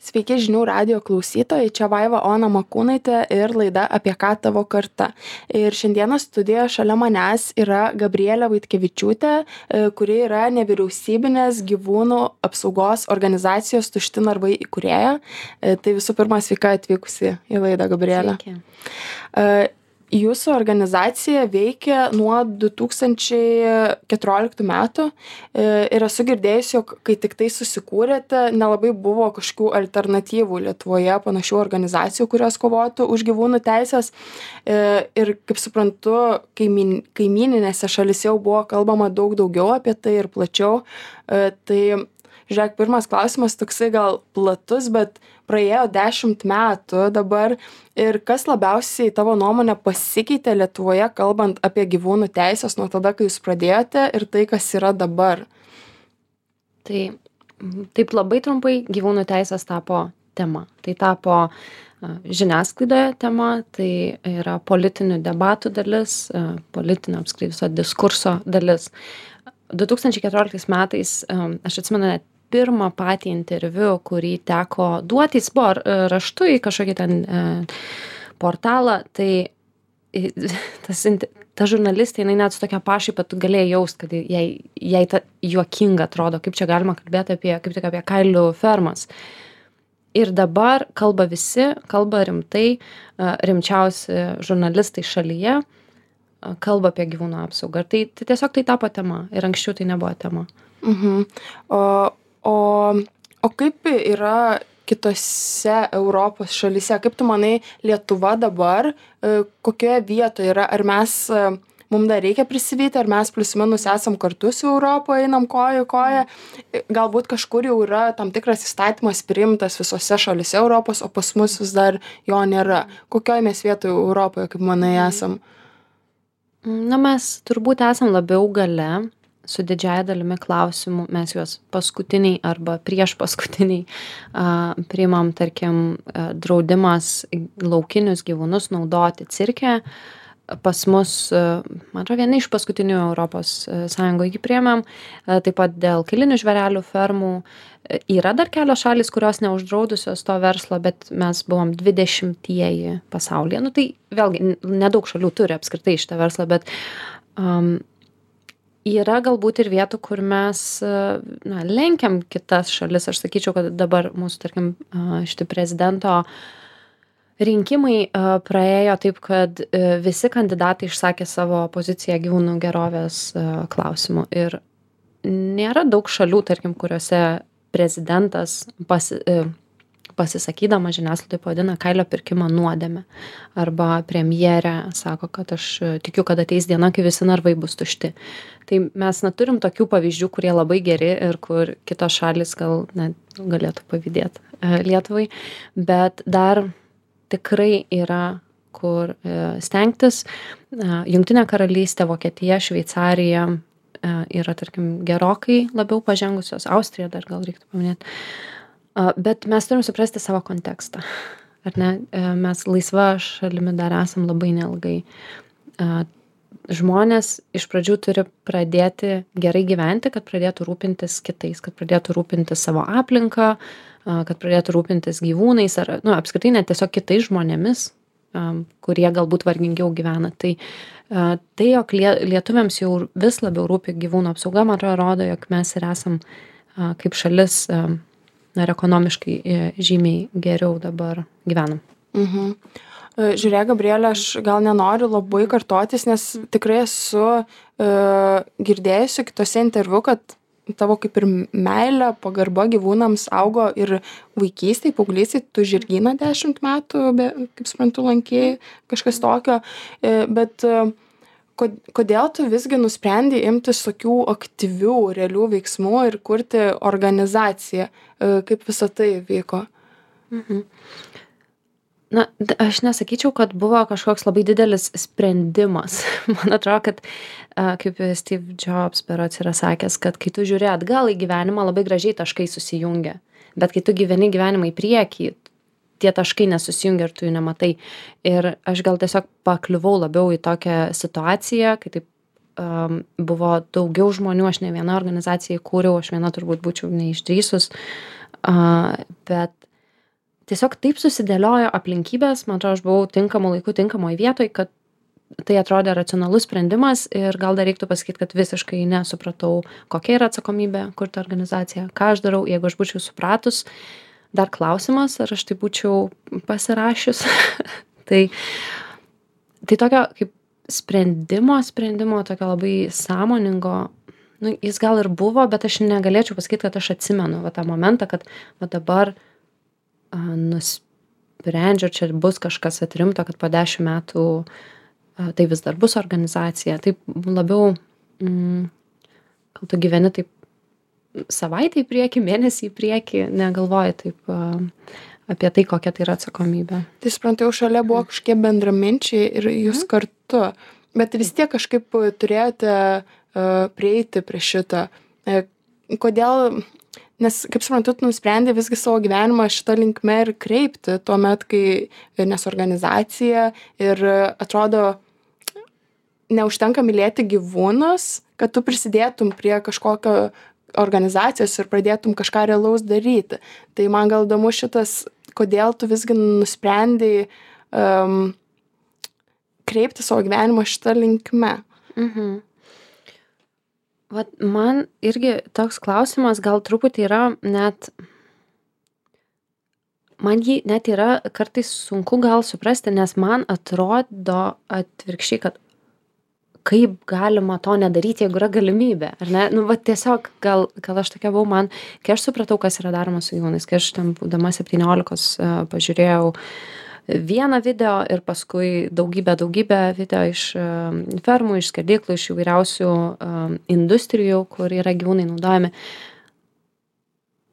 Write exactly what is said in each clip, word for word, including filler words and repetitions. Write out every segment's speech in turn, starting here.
Sveiki žinių radijo klausytojai, čia Vaiva Ona Makūnaitė ir laida Apie ką tavo karta. Ir šiandieną studijoje šalia manęs yra Gabrielė Vaitkevičiūtė, kuri yra nevyriausybinės gyvūnų apsaugos organizacijos Tušti narvai įkūrėja. Tai visų pirma, sveika atvykusi į laidą, Gabrielė. Sveiki. Jūsų organizacija veikia nuo du tūkstančiai keturioliktų metų ir esu girdėjusi, jog kai tik tai susikūrėte, nelabai buvo kažkokių alternatyvų Lietuvoje panašių organizacijų, kurios kovotų už gyvūnų teisės. Ir kaip suprantu, kaimin, kaimininėse šalyse jau buvo kalbama daug daugiau apie tai ir plačiau. Tai, žiūrėk, pirmas klausimas toksai gal platus, bet praėjo dešimt metų dabar ir kas labiausiai tavo nuomonė pasikeitė Lietuvoje, kalbant apie gyvūnų teisės nuo tada, kai jūs pradėjote ir tai, kas yra dabar? Tai taip labai trumpai gyvūnų teisės tapo tema. Tai tapo žiniasklaidoje tema, tai yra politinių debatų dalis, politinio apskritai viso diskurso dalis. du tūkstančiai keturioliktais metais, aš atsimenu net pirmą patį interviu, kurį teko duoti, jis buvo raštu į kažkokį ten e, portalą, tai tas, ta žurnalistė, jinai net su tokia pašaipa, tu galėjai jaust, kad jai, jai ta juokinga atrodo, kaip čia galima kalbėti apie, kaip tik apie kailių fermas. Ir dabar kalba visi, kalba rimtai, rimčiausi žurnalistai šalyje, kalba apie gyvūnų apsaugą. Ir tai, tai tiesiog tai tapo tema. Ir anksčiau tai nebuvo tema. Mhm. O, o, o kaip yra kitose Europos šalyse? Kaip tu manai, Lietuva dabar, kokioje vietoje yra? Ar mes, mums dar reikia prisivyti, ar mes plius minus esam kartu su Europoje, einam koja į koją? Galbūt kažkur jau yra tam tikras įstatymas priimtas visose šalyse Europos, o pas mus vis dar jo nėra. Kokioje mes vietoje Europoje, kaip manai, esam? Na, mes turbūt esam labiau gale, su didžiaja dalimi klausimų, mes juos paskutiniai arba prieš paskutiniai a, priimam, tarkim, a, draudimas laukinius gyvūnus naudoti cirke. Pas mus, a, man atrodo, vieni iš paskutinių Europos Sąjungoje jį priėmėm, a, taip pat dėl kailinių žvėrelių fermų. Yra dar kelios šalys, kurios neuždraudusios to verslo, bet mes buvom dvidešimtieji pasaulyje. Nu, tai vėlgi, nedaug šalių turi apskritai šitą verslą, bet um, yra galbūt ir vietų, kur mes na, lenkiam kitas šalis. Aš sakyčiau, kad dabar mūsų, tarkim, šitie prezidento rinkimai praėjo taip, kad visi kandidatai išsakė savo poziciją gyvūnų gerovės klausimu. Ir nėra daug šalių, tarkim, kuriuose prezidentas pasi, pasisakydama žiniasklaidai pavadina kailio pirkimą nuodėme. Arba premjerė sako, kad aš tikiu, kad ateis diena, kai visi narvai bus tušti. Tai mes neturim tokių pavyzdžių, kurie labai geri ir kur kitos šalis gal net galėtų pavydėti Lietuvai. Bet dar tikrai yra kur stengtis. Jungtinė karalystė, Vokietija, Šveicarija yra, tarkim, gerokai labiau pažengusios. Austrija dar gal reiktų paminėti. Bet mes turim suprasti savo kontekstą. Ar ne? Mes laisva šalimi dar esam labai neilgai. Žmonės iš pradžių turi pradėti gerai gyventi, kad pradėtų rūpintis kitais, kad pradėtų rūpintis savo aplinką, kad pradėtų rūpintis gyvūnais ar, nu, apskritai net tiesiog kitais žmonėmis, kurie galbūt vargingiau gyvena. Tai, tai jog lietuviams jau vis labiau rūpi gyvūnų apsauga, man atrodo, rodo, jog mes ir esam kaip šalis ir ekonomiškai žymiai geriau dabar gyvenam. Mhm. Žiūrėk, Gabrielė, aš gal nenoriu labai kartotis, nes tikrai esu e, girdėjusi kitose interviu, kad tavo kaip ir meilė, pagarba gyvūnams augo ir vaikystėj, paauglystėj, tu žirgyną dešimt metų, be, kaip suprantu, lankėjai, kažkas tokio, e, bet e, kodėl tu visgi nusprendei imtis tokių aktyvių, realių veiksmų ir kurti organizaciją? Kaip visą tai vyko? Mhm. Na, aš nesakyčiau, kad buvo kažkoks labai didelis sprendimas. Man atrodo, kad kaip Steve Jobs berods yra sakęs, kad kai tu žiūri atgal į gyvenimą, labai gražiai taškai susijungia. Bet kai tu gyveni gyvenimą į priekį, tie taškai nesusijungia ir tu jų nematai. Ir aš gal tiesiog pakliuvau labiau į tokią situaciją, kai taip um, buvo daugiau žmonių, aš ne viena organizacija įkūriau, aš viena turbūt būčiau neišdrįsus, uh, bet tiesiog taip susidėliojo aplinkybės, man atrodo, aš buvau tinkamu laiku, tinkamoje vietoje, kad tai atrodė racionalus sprendimas ir gal dar reiktų pasakyti, kad visiškai nesupratau, kokia yra atsakomybė kurti organizaciją, ką aš darau, jeigu aš būčiau supratus, dar klausimas, ar aš tai būčiau pasirašius. tai, tai tokio kaip sprendimo, sprendimo, tokio labai sąmoningo, nu, jis gal ir buvo, bet aš negalėčiau pasakyti, kad aš atsimenu va, tą momentą, kad va, dabar a, nusprendžiu, čia bus kažkas atrimto, kad po dešimt metų a, tai vis dar bus organizacija. Taip labiau, mm, gal tu gyveni taip savaitę į priekį, mėnesį į priekį, negalvoji taip a, apie tai, kokia tai yra atsakomybė. Tai suprantu, jau šalia buvo kažkokie bendraminčiai ir jūs mm. kartu, bet vis tiek kažkaip turėjote uh, prieiti prie šito. Uh, kodėl, nes kaip suprantu, tu nusprendė visgi savo gyvenimą šitą linkme ir kreipti tuo met, kai nes organizacija ir atrodo neužtenka mylėti gyvūnus, kad tu prisidėtum prie kažkokio organizacijos ir pradėtum kažką realaus daryti. Tai man gal įdomu šitas, kodėl tu visgi nusprendei um, kreipti savo gyvenimą šitą linkme. Mhm. Vat man irgi toks klausimas gal truputį yra net, man jį net yra kartais sunku gal suprasti, nes man atrodo atvirkščiai, kad kaip galima to nedaryti, jeigu yra galimybė, ar ne? Nu, va, tiesiog gal, gal aš tokia buvau, man, kai aš supratau, kas yra daroma su gyvūnais, kai aš ten būdama septyniolikos uh, pažiūrėjau vieną video ir paskui daugybę, daugybę video iš uh, fermų, iš skerdyklų, iš įvairiausių uh, industrijų, kur yra gyvūnai naudojami.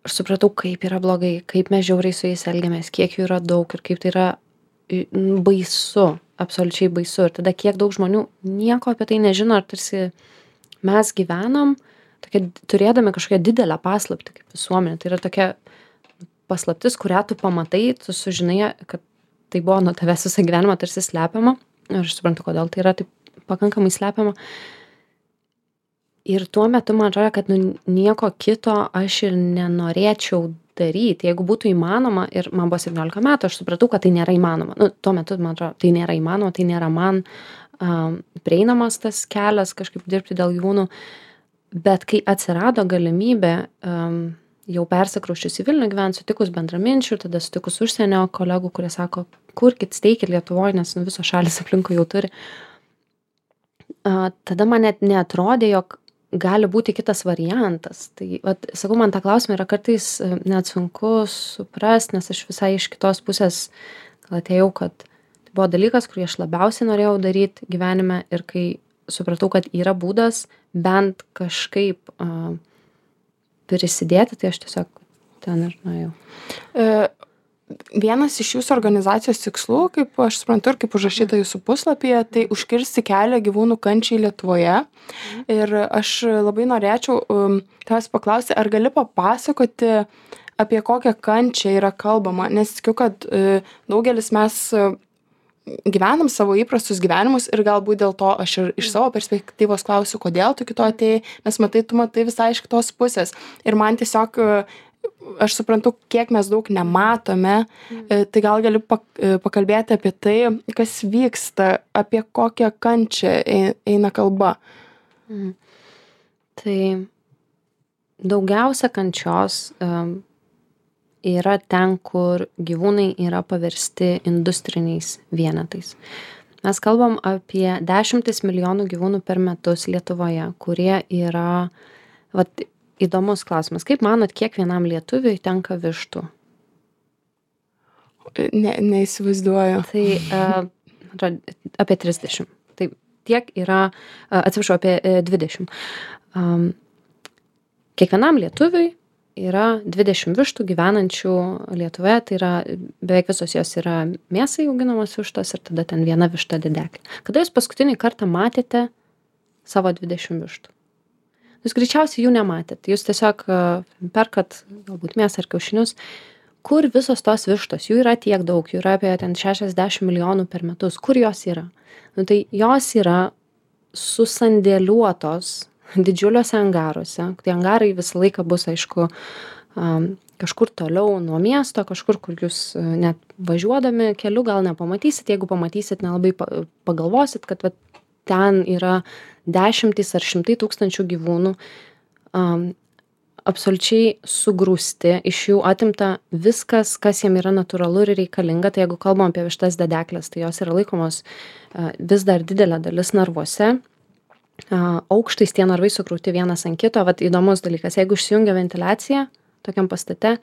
Aš supratau, kaip yra blogai, kaip mes žiauriai su jais elgiamės, kiek jų yra daug ir kaip tai yra baisu. Absoliučiai baisu. Ir tada kiek daug žmonių nieko apie tai nežino, ar tarsi mes gyvenam, tokia, turėdami kažkokią didelę paslaptį kaip visuomenė. Tai yra tokia paslaptis, kurią tu pamatai, tu sužinai, kad tai buvo nuo tavęs visą gyvenimą tarsi slepiama. Ir aš suprantu, kodėl tai yra taip pakankamai slepiama. Ir tuo metu man atrodo, kad nu, nieko kito aš ir nenorėčiau daryti. Jeigu būtų įmanoma, ir man buvo septyniolika metų, aš supratau, kad tai nėra įmanoma. Nu, tuo metu, man atrodo, tai nėra įmanoma, tai nėra man um, prieinamas tas kelias kažkaip dirbti dėl gyvūnų. Bet kai atsirado galimybė, um, jau persikrausčius į Vilnių gyvent, sutikus bendraminčių, tada sutikus užsienio kolegų, kurie sako, kurkit, steikit Lietuvoje, nes nu, visos šalis aplinkui jau turi. Uh, tada man net neatrodė, jog gali būti kitas variantas. Tai, vat, sakau, man tą klausimą yra kartais net sunku suprast, nes aš visai iš kitos pusės gal atėjau, kad tai buvo dalykas, kurį aš labiausiai norėjau daryti gyvenime ir kai supratau, kad yra būdas bent kažkaip uh, prisidėti, tai aš tiesiog ten ir nuėjau. E, vienas iš jūsų organizacijos tikslų, kaip aš suprantu ir kaip užrašyta jūsų puslapyje, tai užkirsti kelią gyvūnų kančiai Lietuvoje. Ir aš labai norėčiau um, tavęs paklausti, ar gali papasakoti, apie kokią kančią yra kalbama, nes tikiu, kad uh, daugelis mes uh, gyvenam savo įprastus gyvenimus ir galbūt dėl to aš ir iš savo perspektyvos klausiu, kodėl tu kito atėjai, nes matai, tu matai visai iš kitos pusės. Ir man tiesiog uh, aš suprantu, kiek mes daug nematome, mm. tai gal gali pakalbėti apie tai, kas vyksta, apie kokią kančią eina kalba. Mm. Tai daugiausia kančios um, yra ten, kur gyvūnai yra paversti industriniais vienetais. Mes kalbam apie dešimtis milijonų gyvūnų per metus Lietuvoje, kurie yra, vat, įdomus klausimas. Kaip manot, kiek vienam lietuviui tenka vištų? Ne, neįsivaizduoju. Tai uh, apie trisdešimt. Tai tiek yra, uh, atsiprašau, apie uh, dvidešimt. Um, kiekvienam lietuviui yra dvidešimt vištų gyvenančių Lietuvoje, tai yra beveik visos jos yra mėsai auginamos vištos ir tada ten viena višta dideklė. Kada jūs paskutinį kartą matėte savo dvidešimt vištų? Jūs greičiausiai jų nematėt. Jūs tiesiog perkat galbūt mėsą ar kiaušinius, kur visos tos vištos, jų yra tiek daug, jų yra apie ten šešiasdešimt milijonų per metus. Kur jos yra? Nu, tai jos yra susandėliuotos didžiuliuose angaruose. Tai angarai visą laiką bus, aišku, um, kažkur toliau nuo miesto, kažkur, kur jūs net važiuodami keliu gal nepamatysit, jeigu pamatysit, nelabai pagalvosit, kad vat, ten yra dešimtys ar šimtai tūkstančių gyvūnų, um, absoliučiai sugrūsti, iš jų atimta viskas, kas jiem yra natūralu ir reikalinga. Tai jeigu kalbam apie vištas dedeklės, tai jos yra laikomos uh, vis dar didelė dalis narvuose. Uh, aukštais tie narvai sukrauti vienas ant kito. Vat įdomus dalykas, jeigu išsijungia ventiliacija tokiam pastate,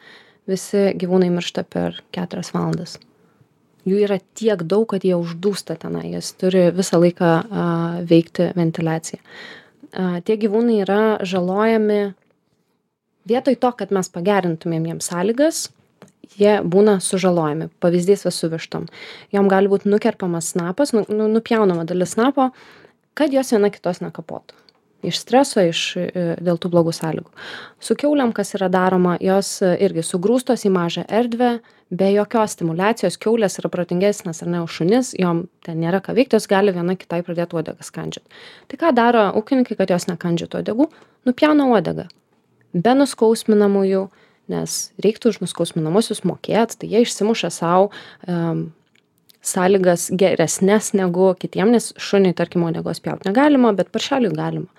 visi gyvūnai miršta per keturias valandas. Jų yra tiek daug, kad jie uždūsta tenai, jas turi visą laiką a, veikti ventiliacija. A, tie gyvūnai yra žalojami vietoj to, kad mes pagerintumėm jiems sąlygas, jie būna sužalojami. Pavyzdys va su vištom. Jom gali būti nukerpamas snapas, nu, nu, nupjaunama dalis snapo, kad jos viena kitos nekapotų. Iš streso, iš, dėl tų blogų sąlygų. Su kiauliam, kas yra daroma, jos irgi sugrūstos į mažą erdvę, be jokios stimulacijos. Kiaulės yra protingesnės ar ne už šunis, jom ten nėra ką veikti, jos gali viena kitai pradėti uodegą skandžiat. Tai ką daro ūkininkai, kad jos nekandžiatų uodegų? Nupjauna uodegą. Be nuskausminamųjų, nes reiktų už nuskausminamuosius mokėt, tai jie išsimuša savo um, sąlygas geresnės negu kitiem, nes šuniui, tarkim, uodegos pjaut negalima, bet paršeliui galima.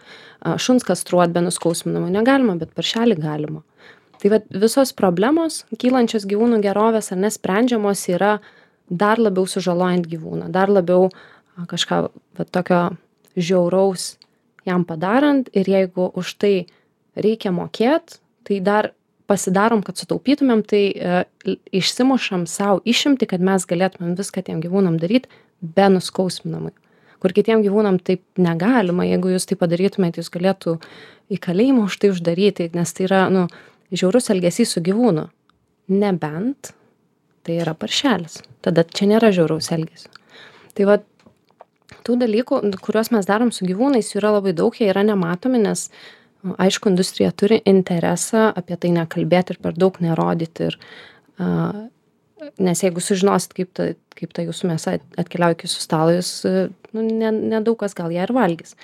Šuns kastruot be nuskausminamų negalima, bet paršelį galima. Tai vat, visos problemos, kylančios gyvūnų gerovės ar nesprendžiamos, yra dar labiau sužalojant gyvūną, dar labiau kažką vat, tokio žiauraus jam padarant, ir jeigu už tai reikia mokėt, tai dar pasidarom, kad sutaupytumėm, tai e, išsimušam savo išimti, kad mes galėtumėm viską tiem gyvūnam daryti be nuskausminamai. Kur kitiem gyvūnam taip negalima, jeigu jūs tai padarytumėte, jūs galėtų į kalėjimą už tai uždaryti, nes tai yra, nu, žiaurus elgesys su gyvūnu. Nebent tai yra paršelis. Tada čia nėra žiauraus elgesio. Tai va, tų dalykų, kuriuos mes darom su gyvūnais, jų yra labai daug, jie yra nematomi, nes aišku, industrija turi interesą apie tai nekalbėti ir per daug nerodyti. Ir, uh, nes jeigu sužinosit, kaip ta, kaip ta jūsų mėsa atkeliauja iki jūsų stalo, jūs nu, nedaug kas gal ją ir valgys.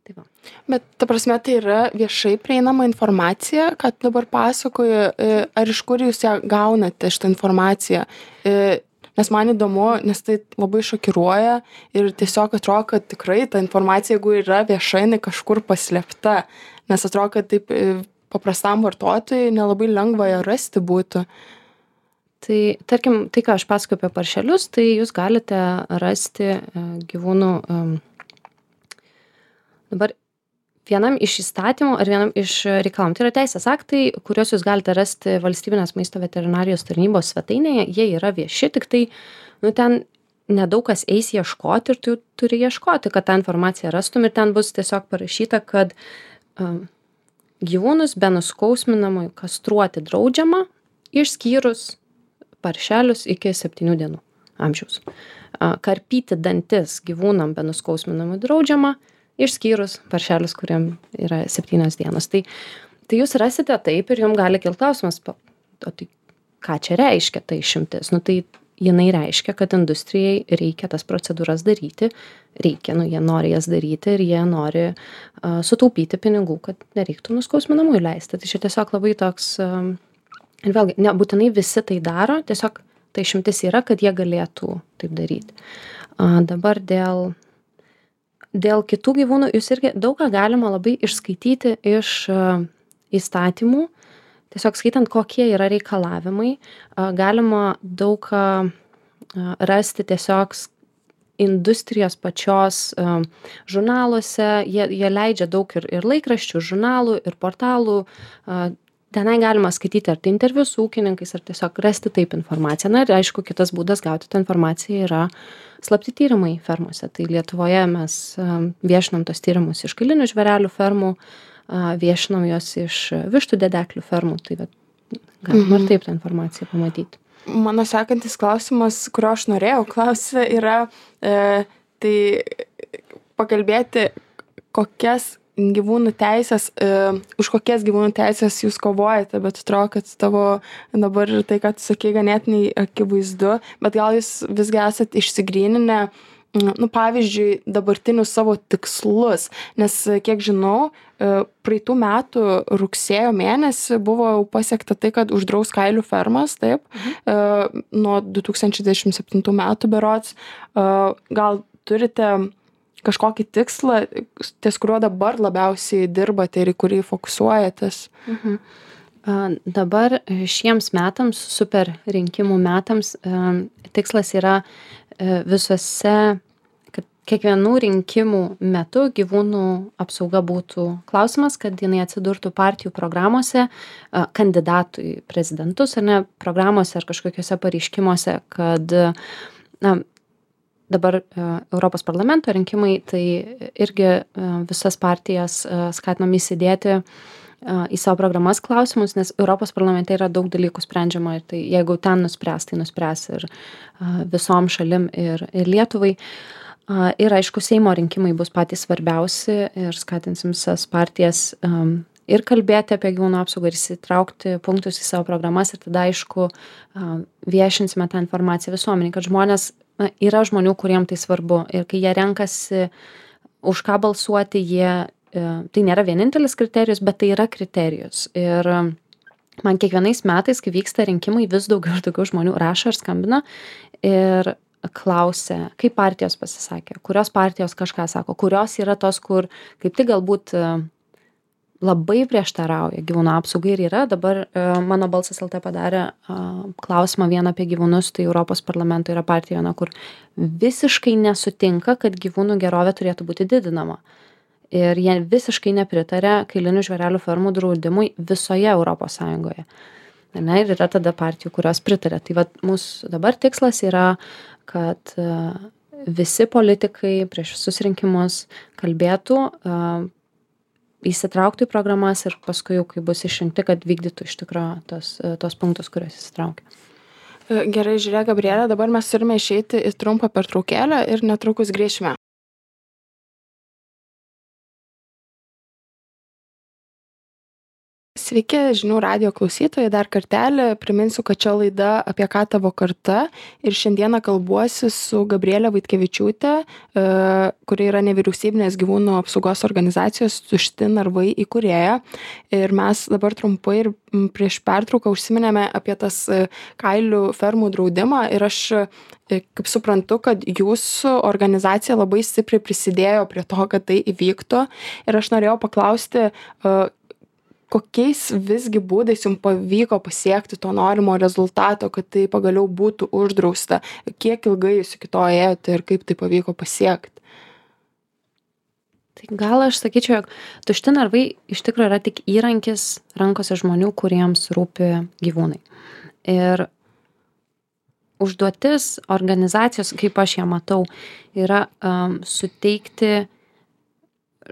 Tai va. Bet ta prasme, tai yra viešai prieinama informacija, kad dabar pasakoju, ar iš kur jūs ją gaunate šitą informaciją? Nes man įdomu, nes tai labai šokiruoja ir tiesiog atrodo, kad tikrai ta informacija, jeigu yra vieša, jinai kažkur paslėpta. Nes atrodo, kad taip paprastam vartotojui nelabai lengva ją rasti būtų. Tai, tarkim, tai, ką aš pasakoju apie paršelius, tai jūs galite rasti gyvūnų dabar vienam iš įstatymų ar vienam iš reikalavimų. Tai yra teisės aktai, kuriuos jūs galite rasti Valstybinės maisto veterinarijos tarnybos svetainėje. Jie yra vieši, tik tai nu, ten nedaug kas eis ieškoti ir tu turi ieškoti, kad tą informaciją rastum. Ir ten bus tiesiog parašyta, kad um, gyvūnus be nuskausminamųjų kastruoti draudžiama, išskyrus paršelius iki septynių dienų amžiaus. Uh, karpyti dantis gyvūnam be nuskausminamųjų draudžiama, išskyrus paršelius, kuriam yra septynios dienos. Tai, tai jūs rasite taip ir jums gali kilti klausimas, o tai ką čia reiškia tai išimtis? Nu, tai jinai reiškia, kad industrijai reikia tas procedūras daryti, reikia, nu, jie nori jas daryti ir jie nori uh, sutaupyti pinigų, kad nereiktų nuskausminamųjų leisti. Tai čia tiesiog labai toks, um, ir vėlgi, nebūtinai visi tai daro, tiesiog tai išimtis yra, kad jie galėtų taip daryti. Uh, dabar dėl Dėl kitų gyvūnų jūs irgi daug ką galima labai išskaityti iš uh, įstatymų, tiesiog skaitant, kokie yra reikalavimai. Uh, galima daug ką uh, rasti tiesiog industrijos pačios uh, žurnaluose. Jie, jie leidžia daug ir, ir laikraščių, žurnalų, ir portalų. Uh, tenai galima skaityti ar tai interviu su ūkininkais, ar tiesiog rasti taip informaciją. Na ir aišku, kitas būdas gauti tą informaciją yra slapti tyrimai fermose. Tai Lietuvoje mes viešinam tos tyrimus iš kailinių žvėrelių fermų, viešinam juos iš vištų dedeklių fermų. Tai galima ir taip tą informaciją pamatyti. Mano sekantis klausimas, kurio aš norėjau klausyti, yra e, tai pakalbėti, kokias gyvūnų teisės, e, už kokias gyvūnų teisės jūs kovojate, bet atrodo, kad tavo dabar tai, kad tu sakai, ganėtinai akivaizdu, bet gal jūs visgi esat išsigryninę, nu, pavyzdžiui, dabartinius savo tikslus, nes, kiek žinau, praeitų metų rugsėjo mėnesį buvo jau pasiekta tai, kad uždraus kailių fermas, taip, mhm. nuo du tūkstančiai dvidešimt septintų metų berods. Gal turite kažkokį tikslą, ties kuriuo dabar labiausiai dirbate ir į kurį fokusuojatės? Mhm. Dabar šiems metams, super rinkimų metams, tikslas yra visose, kad kiekvienų rinkimų metu gyvūnų apsauga būtų klausimas, kad jinai atsidurtų partijų programuose, kandidatų į prezidentus, ar ne, programuose ar kažkokiuose pareiškimuose, kad na, dabar Europos parlamento rinkimai, tai irgi visas partijas skatinam įsidėti į savo programas klausimus, nes Europos parlamente yra daug dalykų sprendžiama ir tai jeigu ten nuspręs, tai nuspręs ir visom šalim ir, ir Lietuvai. Ir aišku, Seimo rinkimai bus patys svarbiausi ir skatinsim visas partijas ir kalbėti apie gyvūnų apsaugą ir įsitraukti punktus į savo programas ir tada aišku viešinsime tą informaciją visuomeniai, kad žmonės, na, yra žmonių, kuriem tai svarbu ir kai jie renkasi už ką balsuoti, jie tai nėra vienintelis kriterijus, bet tai yra kriterijus. Ir man kiekvienais metais, kai vyksta rinkimai, vis daugiau ir daugiau žmonių rašo ir skambina ir klausia, kaip partijos pasisakė, kurios partijos kažką sako, kurios yra tos, kur kaip tik galbūt labai prieštarauja gyvūnų apsaugai ir yra. Dabar mano balsas L T padarė klausimą vieną apie gyvūnus, tai Europos parlamento yra partija, kur visiškai nesutinka, kad gyvūnų gerovė turėtų būti didinama. Ir jie visiškai nepritarė kailinių žvėrelių fermų draudimui visoje Europos Sąjungoje. Ne, ir yra tada partijų, kurios pritarė. Tai vat, mūsų dabar tikslas yra, kad visi politikai prieš visus rinkimus kalbėtų, įsitrauktų į programas ir paskui jau, kai bus išrinkti, kad vykdytų iš tikrųjų tos, tos punktus, kuriuos įsitraukia. Gerai, žiūrėk, Gabrielė, dabar mes turime išeiti į trumpą pertraukėlę ir netrukus grįšime. Sveiki, žinių radijo klausytojai, dar kartelį priminsiu, kad čia laida Apie ką tavo karta ir šiandieną kalbuosi su Gabrielė Vaitkevičiūtė, kuri yra nevyriausybinės gyvūnų apsaugos organizacijos Tušti narvai įkūrėja. Ir mes dabar trumpai ir prieš pertrauką užsiminėme apie tas kailių fermų draudimą ir aš kaip suprantu, kad jūsų organizacija labai stipriai prisidėjo prie to, kad tai įvyktų. Ir aš norėjau paklausti, kokiais visgi būdais jums pavyko pasiekti to norimo rezultato, kad tai pagaliau būtų uždrausta? Kiek ilgai jūs iki to ėjote ir kaip tai pavyko pasiekti? Tai gal aš sakyčiau, jog Tušti narvai iš tikrųjų yra tik įrankis rankose žmonių, kuriems rūpi gyvūnai. Ir užduotis organizacijos, kaip aš ją matau, yra um, suteikti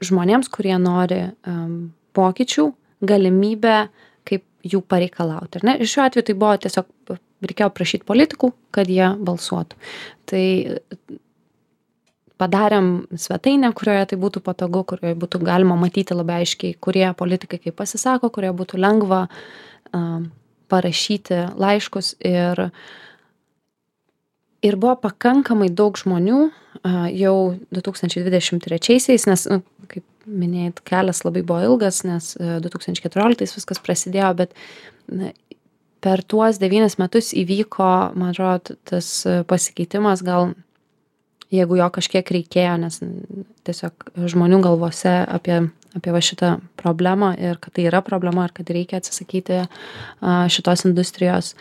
žmonėms, kurie nori um, pokyčių, galimybę, kaip jų pareikalauti. Ir šiuo atveju tai buvo tiesiog, reikėjo prašyti politikų, kad jie balsuotų. Tai padarėm svetainę, kurioje tai būtų patogu, kurioje būtų galima matyti labai aiškiai, kurie politikai kaip pasisako, kurie būtų lengva um, parašyti laiškus. Ir, ir buvo pakankamai daug žmonių uh, jau du tūkstančiai dvidešimt trečiaisiais, nes, nu, kaip minėjot, kelias labai buvo ilgas, nes du tūkstančiai keturioliktais viskas prasidėjo, bet na, per tuos devynis metus įvyko, man atrodo, tas pasikeitimas, gal jeigu jo kažkiek reikėjo, nes tiesiog žmonių galvose apie, apie va šitą problemą ir kad tai yra problema ir kad reikia atsisakyti šitos industrijos.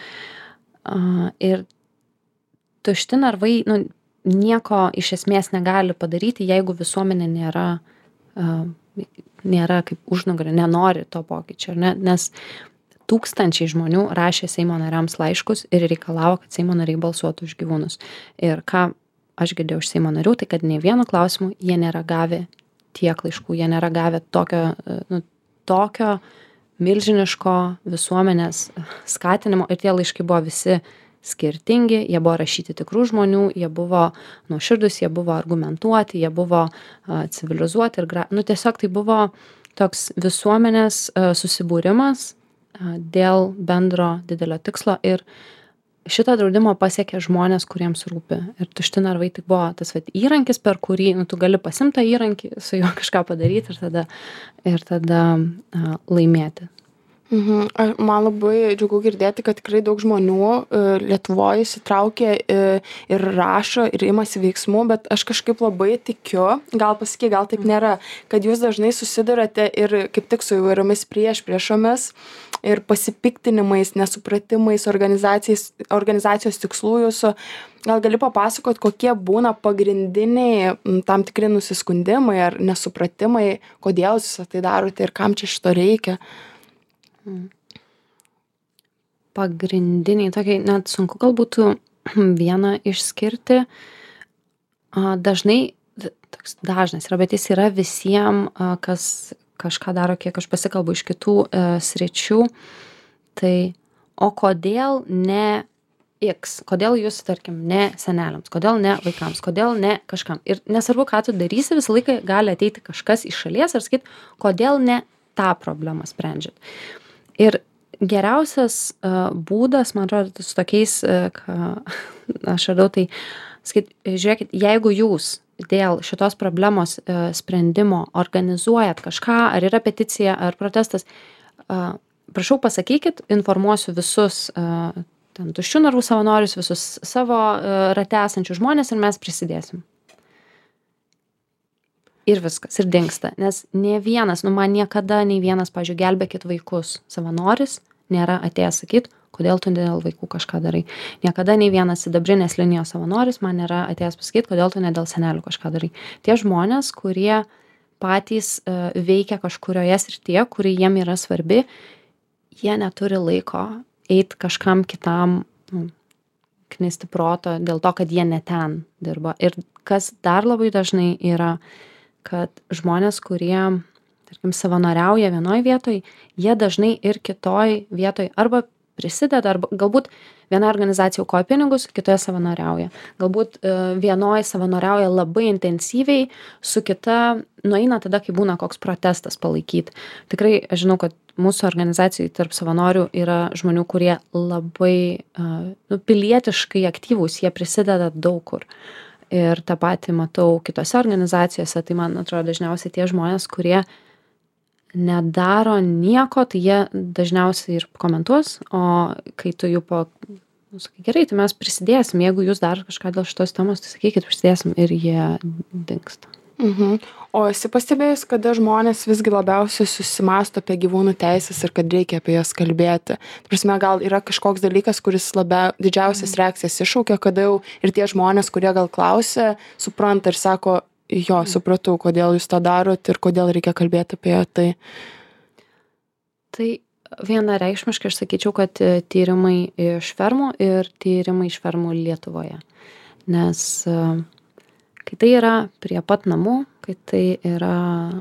Ir Tušti narvai, nu, nieko iš esmės negali padaryti, jeigu visuomenė nėra nėra kaip užnugario, nenori to pokyčio, ne? Nes tūkstančiai žmonių rašė Seimo nariams laiškus ir reikalavo, kad Seimo nariai balsuotų už gyvūnus. Ir ką aš girdėjau iš Seimo narių, tai kad nei vieno klausimu jie nėra gavę tiek laiškų, jie nėra gavę tokio, nu, tokio milžiniško visuomenės skatinimo ir tie laiškai buvo visi skirtingi, jie buvo rašyti tikrų žmonių, jie buvo nuoširdūs, jie buvo argumentuoti, jie buvo uh, civilizuoti ir, gra... nu, tiesiog tai buvo toks visuomenės uh, susibūrimas uh, dėl bendro didelio tikslo ir šitą draudimą pasiekia žmonės, kuriems rūpi. Ir tušti narvai tai buvo tas vat, įrankis, per kurį nu, tu gali pasimti tą įrankį, su juo kažką padaryti ir tada, ir tada uh, laimėti. Mhm. Man labai džiugu girdėti, kad tikrai daug žmonių Lietuvoje įsitraukia ir rašo ir imasi veiksmų, bet aš kažkaip labai tikiu, gal pasakyk, gal taip nėra, kad jūs dažnai susidurate ir kaip tik su įvairiomis prieš priešomis ir pasipiktinimais, nesupratimais organizacijos tikslų jūsų. Gal gali papasakot, kokie būna pagrindiniai tam tikri nusiskundimai ar nesupratimai, kodėl jūs tai darote ir kam čia šito reikia? Pagrindiniai, tokiai, net sunku gal būtų vieną išskirti. Dažnai, toks dažnas yra, bet jis yra visiems, kas kažką daro, kiek aš pasikalbu iš kitų e, sričių. Tai, o kodėl ne X, kodėl jūs, tarkim, ne seneliams, kodėl ne vaikams, kodėl ne kažkam. Ir nesvarbu, ką tu darysi, visą laiką gali ateiti kažkas iš šalies ir sakyti, kodėl ne tą problemą sprendžiat. Ir geriausias uh, būdas, man atrodo, su tokiais, uh, ką aš radau, tai sakyt, žiūrėkit, jeigu jūs dėl šitos problemos uh, sprendimo organizuojat kažką, ar yra peticija, ar protestas, uh, prašau pasakykit, informuosiu visus uh, ten tuščių narvų savanorius, visus savo uh, rate esančius žmonės ir mes prisidėsim. Ir viskas, ir dingsta. Nes ne vienas, nu man niekada nei vienas, pavyzdžiui, gelbėkit vaikus savanoris, nėra atėjęs sakyti, kodėl tu dėl vaikų kažką darai. Niekada nei vienas sidabrinės linijos savanoris man nėra atėjęs pasakyti, kodėl tu ne dėl senelių kažką darai. Tie žmonės, kurie patys uh, veikia kažkurioje srityje, kuri jiem yra svarbi, jie neturi laiko eiti kažkam kitam nu, knisti proto dėl to, kad jie ne ten dirba. Ir kas dar labai dažnai yra, kad žmonės, kurie, tarkim, savanoriauja vienoj vietoj, jie dažnai ir kitoj vietoj arba prisideda, arba galbūt viena organizacija aukoja pinigus, kitoje savanoriauja. Galbūt e, vienoj savanoriauja labai intensyviai, su kita nueina tada, kai būna koks protestas palaikyti. Tikrai, aš žinau, kad mūsų organizacijai tarp savanorių yra žmonių, kurie labai e, nu, pilietiškai aktyvūs, jie prisideda daug kur. Ir tą patį matau kitose organizacijose, tai man atrodo dažniausiai tie žmonės, kurie nedaro nieko, tai jie dažniausiai ir komentuos, o kai tu jų po, nu, sakai, gerai, tai mes prisidėsim, jeigu jūs dar kažką dėl šitos temos, tai sakykit, prisidėsim ir jie dingsta. Mhm. O esi pastebėjus, kada žmonės visgi labiausiai susimąsto apie gyvūnų teisės ir kad reikia apie jas kalbėti? Tai prasme, gal yra kažkoks dalykas, kuris labia, didžiausias reakcijas iššaukia, kada jau ir tie žmonės, kurie gal klausia, supranta ir sako, jo, supratau, kodėl jūs tą darot ir kodėl reikia kalbėti apie tai. Tai vienareikšmiškai aš sakyčiau, kad tyrimai iš fermų ir tyrimai iš fermų Lietuvoje. Nes kai tai yra prie pat namų, kai tai yra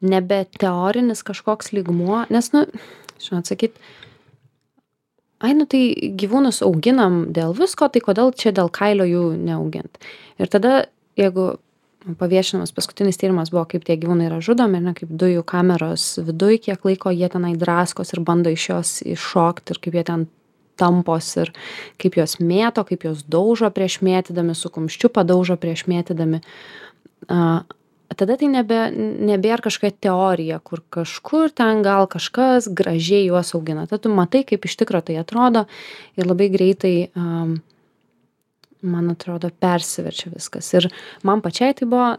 nebe teorinis kažkoks lygmuo, nes, nu, žinot, sakyt, ai, nu tai gyvūnus auginam dėl visko, tai kodėl čia dėl kailio jų neaugint. Ir tada, jeigu paviešinamas paskutinis tyrimas buvo, kaip tie gyvūnai yra žudomi, ne, kaip dujų kameros viduj, kiek laiko jie tenai draskos ir bando iš jos iššokti ir kaip jie ten tampos ir kaip jos mėto, kaip jos daužo prieš mėtydami, su kumščiu padaužo prieš mėtydami. A, tada tai nebe, nebėra kažkokia teorija, kur kažkur ten gal kažkas gražiai juos augina. Tada tu matai, kaip iš tikro tai atrodo ir labai greitai, um, man atrodo, persiverčia viskas. Ir man pačiai tai buvo,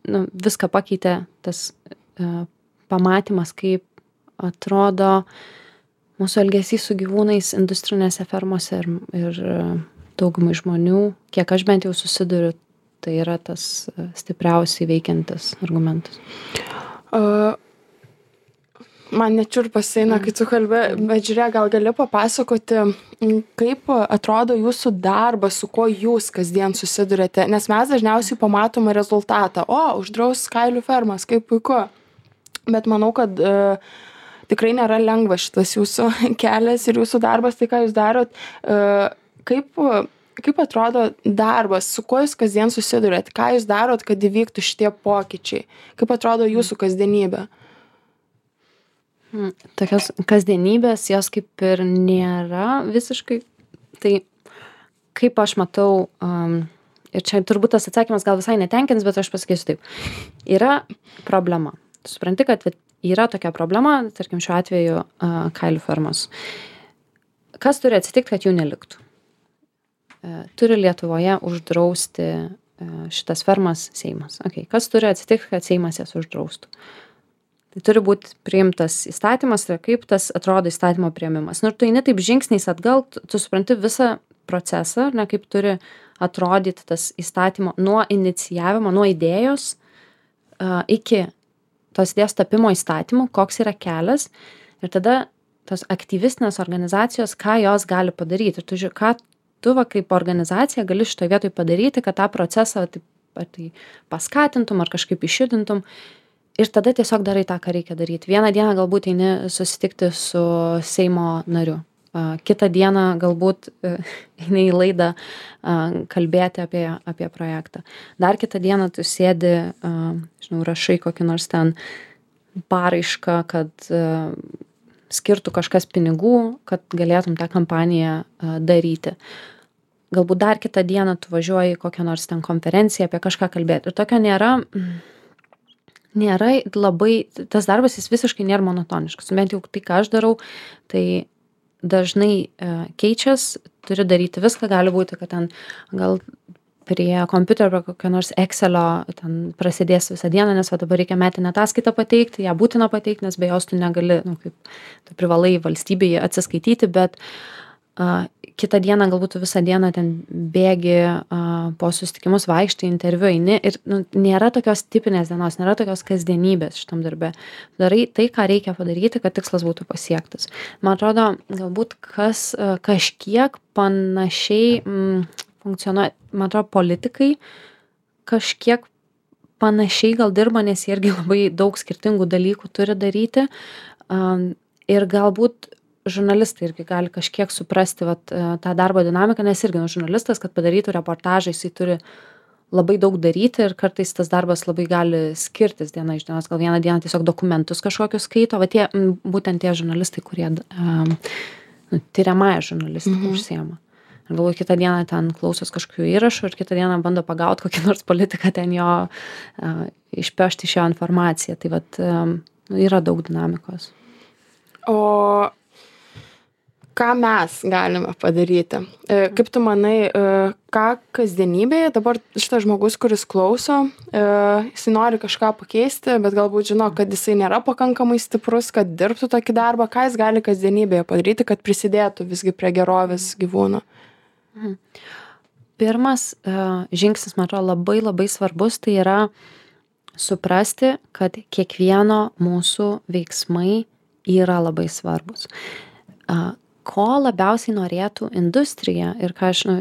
nu, viską pakeitė tas uh, pamatymas, kaip atrodo mūsų elgesys su gyvūnais industrinėse fermose ir, ir daugumai žmonių, kiek aš bent jau susiduriu, tai yra tas stipriausiai veikiantis argumentas. Uh, man nečiurpas eina, kai tu kalbė, bet žiūrėk, gal gali papasakoti, kaip atrodo jūsų darbas, su kuo jūs kasdien susidurėte, nes mes dažniausiai pamatome rezultatą. O, uždraus kailių fermas, kaip puiku. Bet manau, kad uh, tikrai nėra lengva šitas jūsų kelias ir jūsų darbas, tai ką jūs darot, kaip, kaip atrodo darbas, su kuo jūs kasdien susidurėt, ką jūs darot, kad įvyktų šitie pokyčiai, kaip atrodo jūsų kasdienybė? Tokios kasdienybės, jos kaip ir nėra visiškai Tai kaip aš matau, um, ir čia turbūt tas atsakymas gal visai netenkins, bet aš pasakysiu taip. Yra problema. Tu supranti, kad yra tokia problema, tarkim šiuo atveju uh, kailių fermos. Kas turi atsitikti, kad jų neliktų? Uh, turi Lietuvoje uždrausti uh, šitas fermas Seimas. Okay. Kas turi atsitikti, kad Seimas jas uždraustų? Tai turi būti priimtas įstatymas, tai kaip tas atrodo įstatymo priėmimas. Nu, ir tu eini taip žingsniais atgal, tu, tu supranti visą procesą, ne, kaip turi atrodyti tas įstatymo nuo inicijavimo, nuo idėjos uh, iki tos idėjos tapimo įstatymų, koks yra kelias. Ir tada tos aktyvistinės organizacijos, ką jos gali padaryti. Ir tu žiūrė, ką tu va, kaip organizacija gali šitoje vietoje padaryti, kad tą procesą taip, ar tai paskatintum, ar kažkaip išjudintum. Ir tada tiesiog darai tą, ką reikia daryti. Vieną dieną galbūt eini susitikti su Seimo nariu. Kitą dieną galbūt eini į laidą kalbėti apie, apie projektą. Dar kitą dieną tu sėdi, žinau, rašai kokį nors ten paraišką, kad skirtų kažkas pinigų, kad galėtum tą kampaniją daryti. Galbūt dar kitą dieną tu važiuoji kokią nors ten konferenciją apie kažką kalbėti. Ir tokio nėra... nėra labai, tas darbas jis visiškai nėra monotoniškas. Bent jau tai, ką aš darau, tai dažnai e, keičias, turi daryti viską, gali būti, kad ten gal prie kompiuterio, prie kokio nors Excelio ten prasidės visą dieną, nes va dabar reikia metinę ataskaitą pateikti, ją būtina pateikti, nes be jos tu negali, nu, kaip, tu privalai valstybėje atsiskaityti, bet a, kitą dieną galbūt tu visą dieną ten bėgi a, po susitikimus, vaikštai, interviu eini ir nu, nėra tokios tipinės dienos, nėra tokios kasdienybės šitam darbe. Darai tai, ką reikia padaryti, kad tikslas būtų pasiektas. Man atrodo, galbūt kas a, kažkiek panašiai m, funkcionuoja, man atrodo, politikai kažkiek panašiai gal dirba, nes jie irgi labai daug skirtingų dalykų turi daryti a, ir galbūt žurnalistai irgi gali kažkiek suprasti vat, tą darbo dinamiką, nes irgi nu, žurnalistas, kad padarytų reportažą, jisai turi labai daug daryti ir kartais tas darbas labai gali skirtis diena iš dienos. Gal vieną dieną tiesiog dokumentus kažkokius skaito, va tie, būtent tie žurnalistai, kurie um, tyriamąją žurnalistiką mm-hmm. užsiema. Ir galvoju, kitą dieną ten klausos kažkokių įrašų ir kitą dieną bando pagauti kokį nors politiką, ten jo uh, išpešti iš jo informaciją. Tai vat um, yra daug dinamikos. O ką mes galime padaryti? Kaip tu manai, ką kasdienybėje dabar šitas žmogus, kuris klauso, jisai nori kažką pakeisti, bet galbūt žino, kad jisai nėra pakankamai stiprus, kad dirbtų tokį darbą, ką jis gali kasdienybėje padaryti, kad prisidėtų visgi prie gerovės gyvūnų? Pirmas žingsnis, man atrodo, labai labai svarbus, tai yra suprasti, kad kiekvieno mūsų veiksmai yra labai svarbus. Ko labiausiai norėtų industrija ir ką aš nu,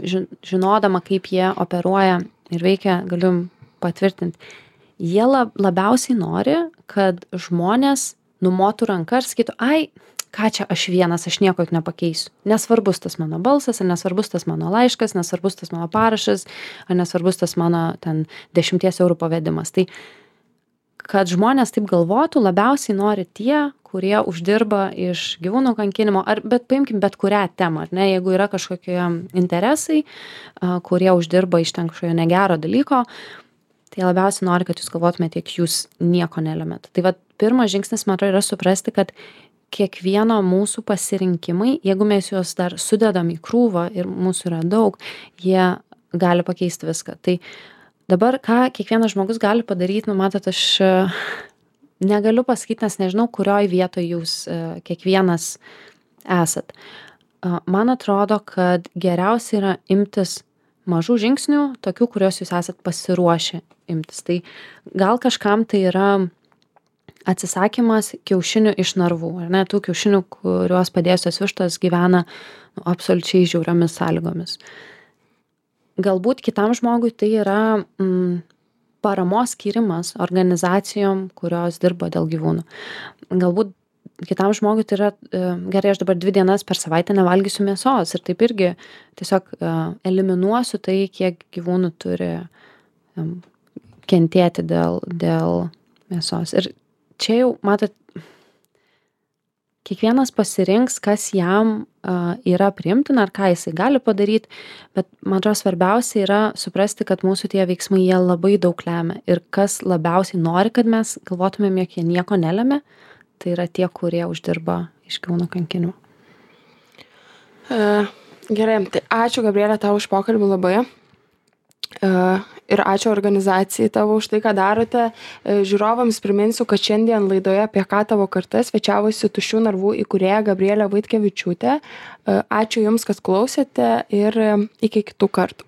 žinodama, kaip jie operuoja ir veikia, galiu patvirtinti, jie lab, labiausiai nori, kad žmonės numotų ranką ir sakytų, ai, ką čia aš vienas, aš nieko nepakeisiu. Nesvarbus tas mano balsas, ar nesvarbus tas mano laiškas, nesvarbus tas mano parašas, ar nesvarbus tas mano ten dešimties eurų pavedimas. Tai kad žmonės taip galvotų, labiausiai nori tie, kurie uždirba iš gyvūnų kankinimo, ar, bet paimkim bet kurią temą, ar ne, jeigu yra kažkokie interesai, a, kurie uždirba iš ten kažkokio negero dalyko, tai labiausiai nori, kad jūs galvotumėte, tiek jūs nieko nelemėt. Tai va, pirmas žingsnis, man atrodo, yra suprasti, kad kiekvieno mūsų pasirinkimai, jeigu mes juos dar sudedam į krūvą ir mūsų yra daug, jie gali pakeisti viską. Tai dabar, ką kiekvienas žmogus gali padaryti, nu, matot, aš negaliu pasakyti, nes nežinau, kurioj vietoj jūs kiekvienas esat. Man atrodo, kad geriausia yra imtis mažų žingsnių, tokių, kuriuos jūs esat pasiruošę imtis. Tai gal kažkam tai yra atsisakymas kiaušinių iš narvų, ar ne, tų kiaušinių, kuriuos padėjusios vištos gyvena nu, absoliučiai žiauriomis sąlygomis. Galbūt kitam žmogui tai yra mm, paramos skyrimas organizacijom, kurios dirba dėl gyvūnų. Galbūt kitam žmogui tai yra, gerai, aš dabar dvi dienas per savaitę nevalgysiu mėsos ir taip irgi tiesiog eliminuosiu tai, kiek gyvūnų turi kentėti dėl, dėl mėsos. Ir čia jau, matot, kiekvienas pasirinks, kas jam uh, yra priimtina ar ką jisai gali padaryti, bet man atrodo svarbiausia yra suprasti, kad mūsų tie veiksmai jie labai daug lemia ir kas labiausiai nori, kad mes galvotumėm, jog jie nieko nelemia, tai yra tie, kurie uždirba iš gyvūnų kankinimo. Uh, gerai, tai ačiū Gabrielė tau už pokalbį labai. Uh, ir ačiū organizacijai tavo už tai, ką darote. Uh, žiūrovams priminsiu, kad šiandien laidoje apie ką tavo karta svečiavosi Tuščių narvų įkūrėja Gabrielė Vaitkevičiūtė. Uh, ačiū Jums, kad klausėte ir uh, iki kitų kartų.